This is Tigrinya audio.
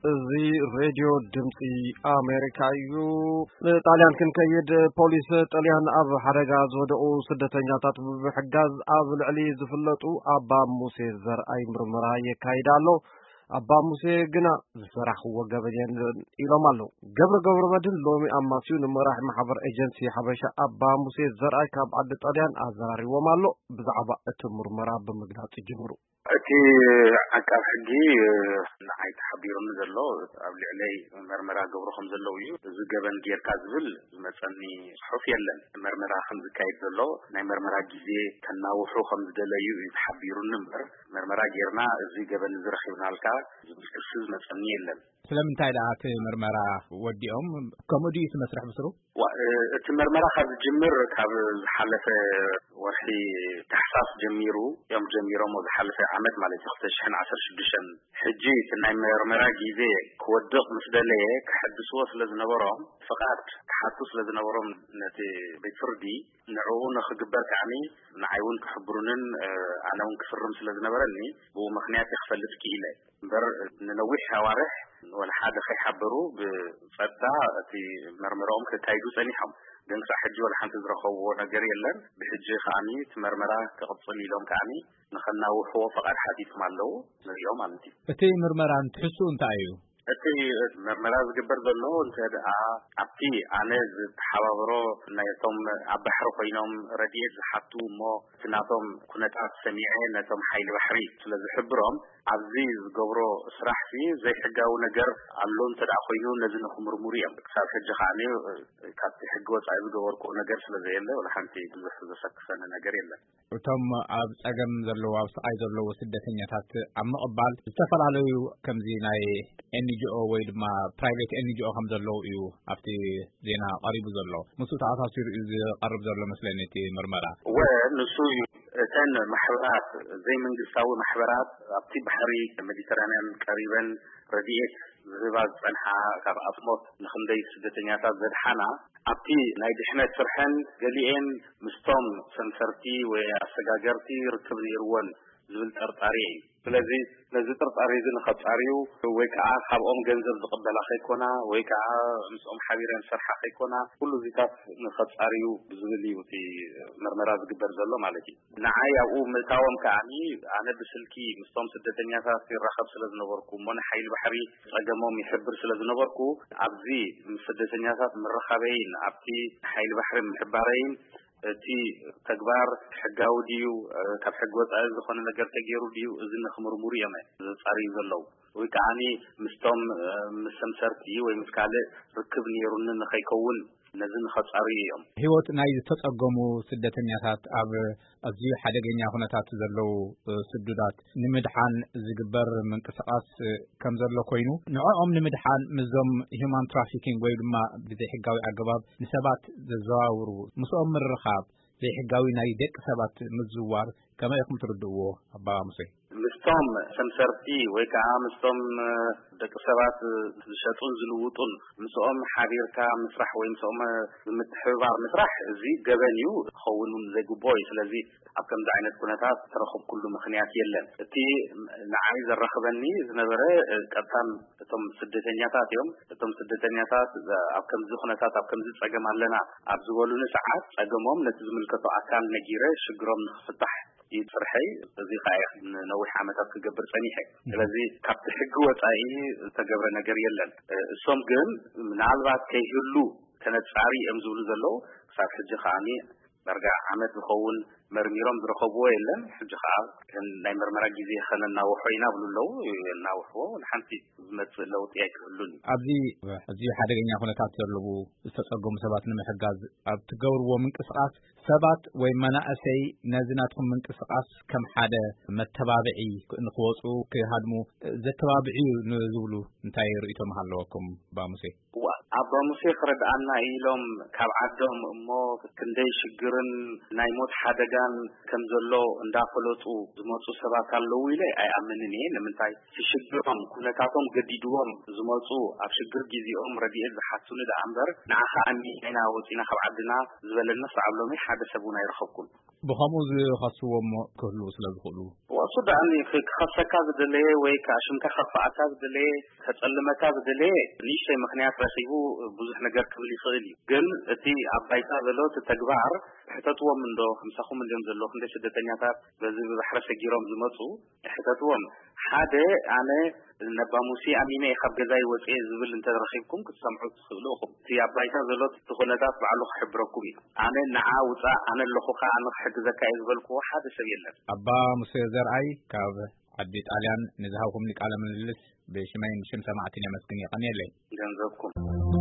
እዚ ሬድዮ ድምፂ ኣሜሪካ እዩ። ንጣልያን ክንከይድ፣ ፖሊስ ጣልያን ኣብ ሓደጋ ዝወደቑ ስደተኛታት ብምሕጋዝ ኣብ ልዕሊ ዝፍለጡ ኣባ ሙሴ ዘርኣይ ምርመራ የካይድ ኣሎ። ኣባ ሙሴ ግና ዝሰራሕዎ ገበን የለን ኢሎም ኣለዉ። ገብረ ገብረ መድህን ሎሚ ኣማስዩ ንመራሒ ማሕበር ኤጀንሲ ሓበሻ ኣባ ሙሴ ዘርኣይ ካብ ዓዲ ጣልያን ኣዘራሪዎም ኣሎ። ብዛዕባ እቲ ምርመራ ብምግላጽ ይጅምሩ። እቲ ዓቃብ ሕጊ ንዓይ ተሓቢሩኒ ዘሎ፣ ኣብ ልዕለይ መርመራ ገብሩ ከም ዘለዉ እዩ። እዚ ገበን ጌርካ ዝብል ዝመጸኒ ጽሑፍ የለን። መርመራ ከም ዝካየድ ዘሎ፣ ናይ መርመራ ግዜ ከናውሑ ከም ዝደለዩ እዩ ተሓቢሩኒ እምበር፣ መርመራ ጌርና እዚ ገበን እዚ ረኺብናልካ ዝብል ክሲ ዝመጸኒ የለን። ስለምንታይ ደኣ እቲ መርመራ ወዲኦም? ከምኡ ድዩ እቲ መስርሕ ብስሩ? ዋ-፣ እ፣ እቲ መርመራ ካብ ዝጅምር ካብ ዝሓለፈ ወርሒ ታሕሳስ ጀሚሩ እዮም ጀሚሮም፣ ዝሓለፈ ዓመት ማለት እዩ፣ ክልተ ሽሕን ዓሰርተ ሽዱሽተን። ሕጂ እቲ ናይ መርመራ ግዜ ክወድቕ ምስ ደለየ፣ ክሕድስዎ ስለ ዝነበሮም፣ ፍቓድ ክሓቱ ስለ ዝነበሮም ነቲ ቤት ፍርዲ፣ ንዕኡ ንኽግበር ከዓኒ ንዓይ እውን ክሕብሩንን፣ እ፣ ኣነ እውን ክፍርም ስለ ዝነበረኒ፣ ብኡ ምኽንያት እየ ክፈልጥ ክኢለ። እምበር ንነዊሕ ኣዋርሕ ወላ ሓደ ከይሓበሩ ብጸጥታ እቲ መርመራኦም ከካይዱ ጸኒሖም። ግን ክሳብ ሕጂ ወላ ሓንቲ ዝረኸብዎ ነገር የለን። ብሕጂ ከዓኒ እቲ መርመራ ክቕጽል ኢሎም ከዓኒ ንኸናውሕዎ ፈቓድ ሓቲቶም ኣለዉ። ንሪኦ ማለት እዩ። እቲ ምርመራ ትሕዝትኡ እንታይ እዩ? እቲ መርመራ ዝግበር ዘሎ እንተ ደኣ ኣብቲ ኣነ ዝተሓባበሮ ናይቶም ኣብ ባሕሪ ኮይኖም ረድኤት ዝሓቱ እሞ እቲ ናቶም ኩነታት ሰሚዐ ነቶም ሓይሊ ባሕሪ ስለ ዝሕብሮም ኣብዚ ዝገብሮ ስራሕ ሲ ዘይሕጋዊ ነገር ኣሎ እንተ ደኣ ኮይኑ ነዚ ንኽምርምሩ እዮም። ክሳብ ሕጂ ከዓኒ ካብቲ ሕጊ ወጻኢ ዝገበርኩዎ ነገር ስለ ዘየለ ወላ ሓንቲ ብዙሕ ዘሰክፈኒ ነገር የለን። እቶም ኣብ ጸገም ዘለዉ፣ ኣብ ስቓይ ዘለዉ ስደተኛታት ኣብ ምቕባል ዝተፈላለዩ ከምዚ ናይ ኤን ጂ ኦ ወይ ድማ ፕራይቬት ኤን ጂ ኦ ከም ዘለዉ እዩ ኣብቲ ዜና ቀሪቡ ዘሎ። ምስኡ ተኣሳሲሩ እዩ ዝቐርብ ዘሎ መስለኒ እቲ ምርመራ። እወ፣ ንሱ እዩ። እተን ማሕበራት፣ ዘይመንግስታዊ ማሕበራት ኣብቲ ባሕሪ ሜዲተራንያን ቀሪበን ረድኤት ዝህባ ዝጸንሓ፣ ካብ ኣጽሞት ንኽንደይ ስደተኛታት ዘድሓና፣ ኣብቲ ናይ ድሕነት ስርሐን ገሊኤን ምስቶም ሰምሰርቲ ወይ ኣሰጋገርቲ ርክብ ነይርወን ዝብል ጥርጣሬ እዩ። ስለዚ ነዚ ጥርጣሬ እዚ ንኸጻርዩ ወይ ከዓ ካብኦም ገንዘብ ዝቕበላ ከይኮና ወይ ከዓ ምስኦም ሓቢረን ዝሰርሓ ከይኮና፣ ኩሉ እዚታት ንኸጻርዩ ብዝብል እዩ እቲ መርመራ ዝግበር ዘሎ ማለት እዩ። ንዓይ ኣብኡ ምእታዎም ከዓኒ ኣነ ብስልኪ ምስቶም ስደተኛታት ይራኸብ ስለ ዝነበርኩ እሞ ንሓይሊ ባሕሪ ጸገሞም ይሕብር ስለ ዝነበርኩ ኣብዚ ምስ ስደተኛታት ምርኻበይን ኣብቲ ሓይሊ ባሕሪ ምሕባረይን እቲ ተግባር ሕጋዊ ድዩ፣ እ፣ ካብ ሕጊ ወጻኢ ዝኾነ ነገር ተገይሩ ድዩ፣ እዚ ንኽምርምሩ እዮም ዘጻርዩ ዘለዉ። ወይ ከዓኒ ምስቶም፣ እ፣ ምስ ሰምሰርቲ ወይ ምስ ካልእ ርክብ ነይሩኒ ንኸይከውን ነዚ ንኸጻርዩ እዮም። ህይወት ናይ ዝተጸገሙ ስደተኛታት ኣብ ኣዝዩ ሓደገኛ ኩነታት ዘለዉ፣ እ፣ ስዱዳት ንምድሓን ዝግበር ምንቅስቓስ፣ እ፣ ከም ዘሎ ኮይኑ ንዕኦም ንምድሓን ምስዞም ሂዩማን ትራፊኪንግ ወይ ድማ ብዘይሕጋዊ ኣገባብ ንሰባት ዘዘዋውሩ ምስኦም ምርኻብ ዘይሕጋዊ ናይ ደቂ ሰባት ምዝዋር ከመይ ኢኹም ትርድእዎ ኣባ ሙሴ? ምስቶም ሰምሰርቲ ወይ ከዓ ምስቶም፣ እ፣ ደቂ ሰባት፣ እ፣ ዝሸጡን ዝልውጡን ምስኦም ሓቢርካ ምስራሕ ወይ ምስኦም፣ እ፣ ብምትሕብባር ምስራሕ እዚ ገበን እዩ፣ ክኸውን እውን ዘይግብኦ እዩ። ስለዚ ኣብ ከምዚ ዓይነት ኩነታት ተረኸብኩሉ ምኽንያት የለን። እቲ ንዓይ ዘራኽበኒ ዝነበረ፣ እ፣ ቀጥታ እቶም ስደተኛታት እዮም። እቶም ስደተኛታት፣ እ፣ ኣብ ከምዚ ኩነታት ኣብ ከምዚ ጸገም ኣለና ኣብ ዝበሉኒ ሰዓት ጸገሞም ነቲ ዝምልከቶ ኣካል ነጊረ ሽግሮም ንኽፍታሕ እዩ ስርሐይ። እዚ ከዓ እየ ንነዊሕ ዓመታት ክገብር ጸኒሐ። ስለዚ ካብቲ ሕጊ ወጻኢ ዝተገብረ ነገር የለን። እ፣ እሶም ግን ምናልባት ከይህሉ ከነጻሪ እዮም ዝብሉ ዘለዉ። ክሳብ ሕጂ ከዓኒ ዳርጋ ዓመት ዝኸውን መርሚሮም ዝረኸብዎ የለን። ሕጂ ከዓ ከም ናይ መርመራ ግዜ ከነናውሖ ኢና ብሉ ኣለዉ። የናውሕዎ፣ ንሓንቲ ዝመጽእ ለውጢ ኣይክህሉን እዩ። ኣብዚ ኣዝዩ ሓደገኛ ኩነታት ዘለዉ ዝተጸገሙ ሰባት ንምሕጋዝ ኣብ ትገብርዎ ምንቅስቓስ ሰባት ወይ መናእሰይ ነዚ ናትኩም ምንቅስቓስ ከም ሓደ መተባብዒ ንክወፁ ክሃድሙ ዘተባብዒ እዩ ንዝብሉ እንታይ ርእይቶ ምሃለወኩም ኣባ ሙሴ? እዋ፣ ኣባ ሙሴ ክረድኣና ኢሎም ካብ ዓዶም እሞ ክንደይ ሽግርን ናይ ሞት ሓደጋን ከም ዘሎ እንዳፈለጡ ዝመፁ ሰባት ኣለዉ ኢለ ኣይኣምንን እየ። ንምንታይ? እቲ ሽግሮም፣ ኩነታቶም ገዲድዎም ዝመፁ፣ ኣብ ሽግር ግዜኦም ረድኤት ዝሓቱኒ ደኣ እምበር፣ ንዓኻ ኣሚና ኢና ወፂና ካብ ዓድና ዝበለኒ ክሳብ ሎሚ ሓደ ሰብ እውን ኣይረኸብኩን። ብኸምኡ ዝኸስዎም ክህልዉ ስለ ዝኽእሉ። እዋ፣ እሱ ደኣ ክኸሰካ ዝደለየ ወይ ከዓ ሽምካ ከጥፍኣካ ዝደለየ፣ ከጸልመካ ዝደለየ ንእሽተይ ምኽንያት ረኺቡ ብዙሕ ነገር ክብል ይኽእል እዩ። ግን እቲ ኣብ ባይታ ዘሎ እቲ ተግባር ሕተትዎም እንዶ፣ ምሳኹም እንድዮም ዘለዉ፣ ክንደይ ስደተኛታት በዚ ብባሕሪ ሰጊሮም ዝመጹ፣ ሕተትዎም። ሓደ፣ ኣነ ነባ ሙሴ ኣሚነ እየ ካብ ገዛይ ወፅየ ዝብል እንተረኺብኩም ክትሰምዑ ትኽእሉ ኢኹም። እቲ ኣብ ባይታ ዘሎ እቲ ኩነታት ባዕሉ ክሕብረኩም እዩ። ኣነ ንዓ ውፃእ፣ ኣነ ኣለኹኻ፣ ኣነ ክሕግዘካ እየ ዝበልክዎ ሓደ ሰብ የለን። ኣባ ሙሴ ዘርኣይ ካብ ዓዲ ጣልያን ንዝሃብኩምኒ ቃለ ምልልስ ብሽመይን ብሽም ሰማዕትን የመስግን። የቐንየለይ። ገንዘብኩም።